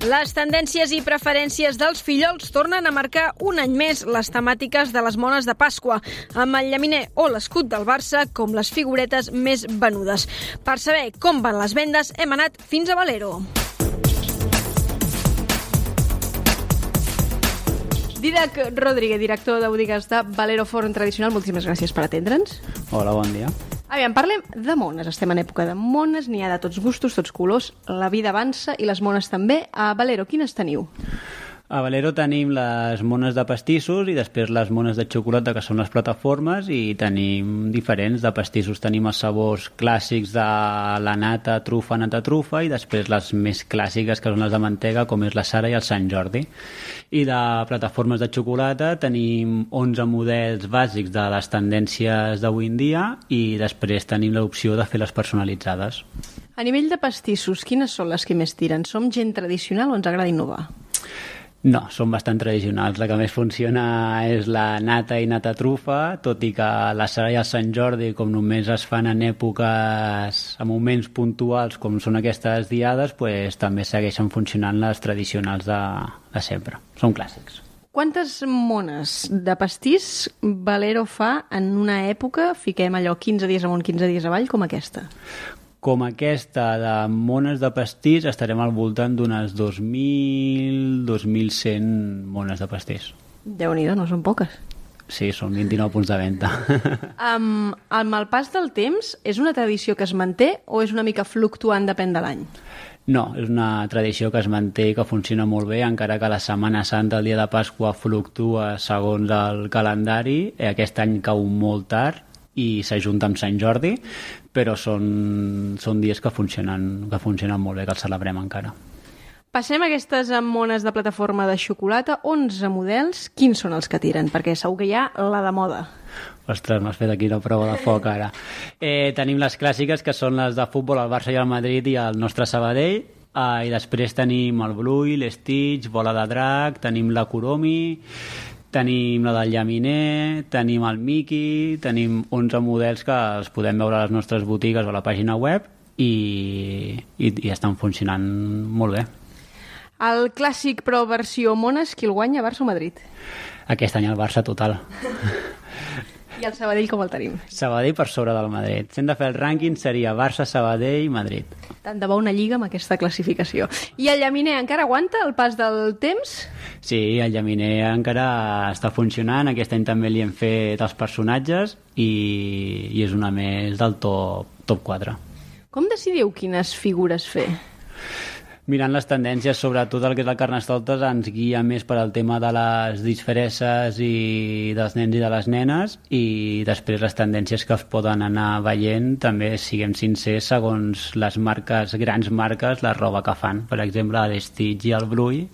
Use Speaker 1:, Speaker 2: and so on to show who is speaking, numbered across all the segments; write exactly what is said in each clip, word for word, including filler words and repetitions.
Speaker 1: Les tendències i preferències dels fillols tornen a marcar un any més les temàtiques de les mones de Pasqua, amb el llaminer o l'escut del Barça com les figuretes més venudes. Per saber com van les vendes, hem anat fins a Valero. Didac Rodríguez, director de botigues de Valero Forn Tradicional, moltíssimes gràcies per atendre'ns.
Speaker 2: Hola, bon dia.
Speaker 1: Aviam, parlem de mones. Estem en època de mones, n'hi ha de tots gustos, tots colors. La vida avança i les mones també. A Valero, quines teniu?
Speaker 2: A Valero tenim les mones de pastissos i després les mones de xocolata, que són les plataformes, i tenim diferents de pastissos. Tenim els sabors clàssics de la nata, trufa, nata, trufa, i després les més clàssiques, que són les de mantega, com és la Sara i el Sant Jordi. I de plataformes de xocolata tenim onze models bàsics de les tendències d'avui en dia i després tenim l'opció de fer les personalitzades.
Speaker 1: A nivell de pastissos, quines són les que més tiren? Som gent tradicional o ens agrada innovar?
Speaker 2: No, són bastant tradicionals. La que més funciona és la nata i nata trufa, tot i que la Sara i el Sant Jordi, com només es fan en èpoques, en moments puntuals, com són aquestes diades, pues, també segueixen funcionant les tradicionals de, de sempre. Són clàssics.
Speaker 1: Quantes mones de pastís Valero fa en una època, fiquem allò quinze dies amunt, quinze dies avall, com aquesta?
Speaker 2: Com aquesta de mones de pastís estarem al voltant d'unes dos mil, dos mil cent mones de pastís.
Speaker 1: Déu-n'hi-do, no són poques.
Speaker 2: Sí, són vint-i-nou punts de venda.
Speaker 1: Um, amb el pas del temps, és una tradició que es manté o és una mica fluctuant, depèn de l'any?
Speaker 2: No, és una tradició que es manté i que funciona molt bé, encara que la Setmana Santa, el dia de Pasqua, fluctua segons el calendari. Aquest any cau molt tard i s'ajunta amb Sant Jordi, però són, són dies que funcionen, que funcionen molt bé, que els celebrem encara.
Speaker 1: Passem a aquestes mones de plataforma de xocolata. onze models, quins són els que tiren? Perquè segur que hi ha la de moda.
Speaker 2: Ostres, m'has fet aquí una prova de foc ara. Eh, tenim les clàssiques, que són les de futbol, el Barça i el Madrid i el nostre Sabadell, eh, i després tenim el Bluey, l'Stitch, Bola de Drac, tenim la Kuromi, tenim la del llaminer, tenim el Mickey, tenim onze models que els podem veure a les nostres botigues o a la pàgina web i, i, i estan funcionant molt bé.
Speaker 1: El clàssic però versió mones, qui el guanya, Barça o Madrid?
Speaker 2: Aquest any el Barça total.
Speaker 1: I el Sabadell com el tenim?
Speaker 2: Sabadell per sobre del Madrid. Si hem de fer el rànquing seria Barça, Sabadell, Madrid.
Speaker 1: Tant de bo una lliga amb aquesta classificació. I el llaminer encara aguanta el pas del temps?
Speaker 2: Sí, el llaminer encara està funcionant. Aquest any també li hem fet els personatges i, i és una més del top, top quatre.
Speaker 1: Com decidiu quines figures fer?
Speaker 2: Mirant les tendències, sobretot el que és el Carnestoltes, ens guia més per al tema de les disfresses i dels nens i de les nenes, i després les tendències que es poden anar veient, també, siguem sincers, segons les marques, grans marques, la roba que fan. Per exemple, l'Stitch i el Bluey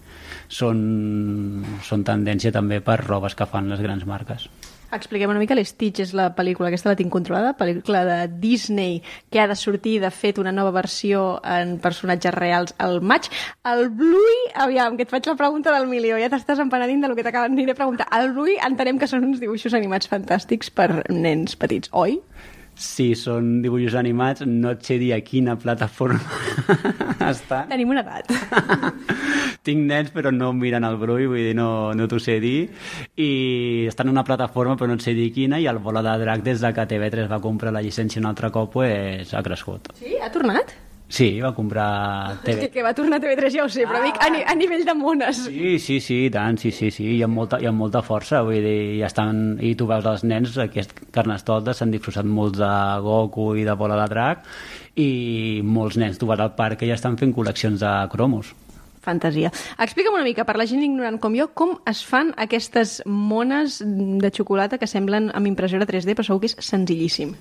Speaker 2: són, són tendència també per robes que fan les grans marques.
Speaker 1: Expliquem una mica. L'Stitch és la pel·lícula, aquesta la tinc controlada, pel·lícula de Disney que ha de sortir, de fet, una nova versió en personatges reals al maig. El Bluey, aviam, que et faig la pregunta del milió, ja t'estàs empenedint del que t'acaben de preguntar. El Bluey entenem que són uns dibuixos animats fantàstics per nens petits, oi?
Speaker 2: Sí, són dibuixos animats, no et sé dir a quina plataforma està.
Speaker 1: Tenim una edat.
Speaker 2: Tinc nens però no miren el Bluey, vull dir, no, no t'ho sé dir, i està en una plataforma però no et sé dir quina, i el Bola de Drac, des de que T V tres va comprar la llicència un altre cop, pues, ha crescut.
Speaker 1: Sí? Ha tornat?
Speaker 2: Sí, va comprar T V.
Speaker 1: Que, que va tornar a T V tres ja ho sé, però dic a, ni, a nivell de mones.
Speaker 2: Sí, sí, sí, i tant, sí, sí, sí, i amb molta, i amb molta força, vull dir, ja estan, i tu veus els nens, aquest Carnestoltes s'han disfressat molts de Goku i de Bola de Drac, i molts nens tu vas al parc que ja estan fent col·leccions de cromos.
Speaker 1: Fantasia. Explica'm una mica, per la gent ignorant com jo, com es fan aquestes mones de xocolata que semblen amb impressora tres D, però segur que és senzillíssim.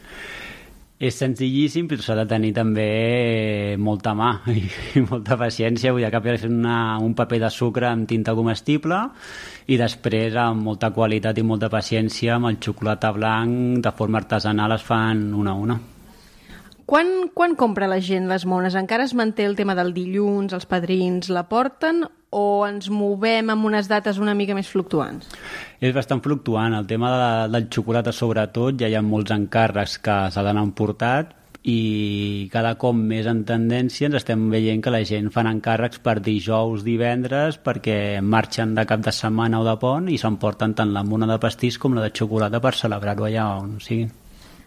Speaker 2: És senzillíssim, però s'ha de tenir també molta mà i, i molta paciència. Vull dir, que és una, un paper de sucre amb tinta comestible i després, amb molta qualitat i molta paciència, amb el xocolata blanc, de forma artesanal, es fan una a una.
Speaker 1: Quan, quan compra la gent les mones? Encara es manté el tema del dilluns, els padrins la porten, o ens movem amb unes dates una mica més fluctuants?
Speaker 2: És bastant fluctuant. El tema de, del xocolata, sobretot, ja hi ha molts encàrrecs que s'ha d'anar emportat, i cada cop més en tendència ens estem veient que la gent fan encàrrecs per dijous, divendres, perquè marxen de cap de setmana o de pont i s'emporten tant la mona de pastís com la de xocolata per celebrar-ho allà on siguin.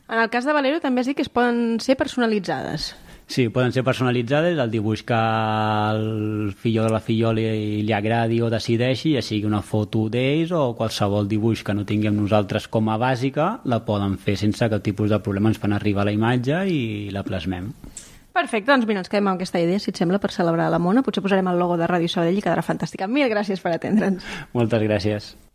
Speaker 1: En el cas de Valero també has dit que es poden ser personalitzades.
Speaker 2: Sí, poden ser personalitzades, el dibuix que el filló de la filló li, li agradi o decideixi, ja sigui una foto d'ells o qualsevol dibuix que no tinguem nosaltres com a bàsica, la poden fer sense cap tipus de problema, ens fan arribar la imatge i la plasmem.
Speaker 1: Perfecte, doncs mira, ens quedem amb aquesta idea, si et sembla, per celebrar la mona. Potser posarem el logo de Ràdio Sabadell i quedarà fantàstica. Mil gràcies per atendre'ns.
Speaker 2: Moltes gràcies.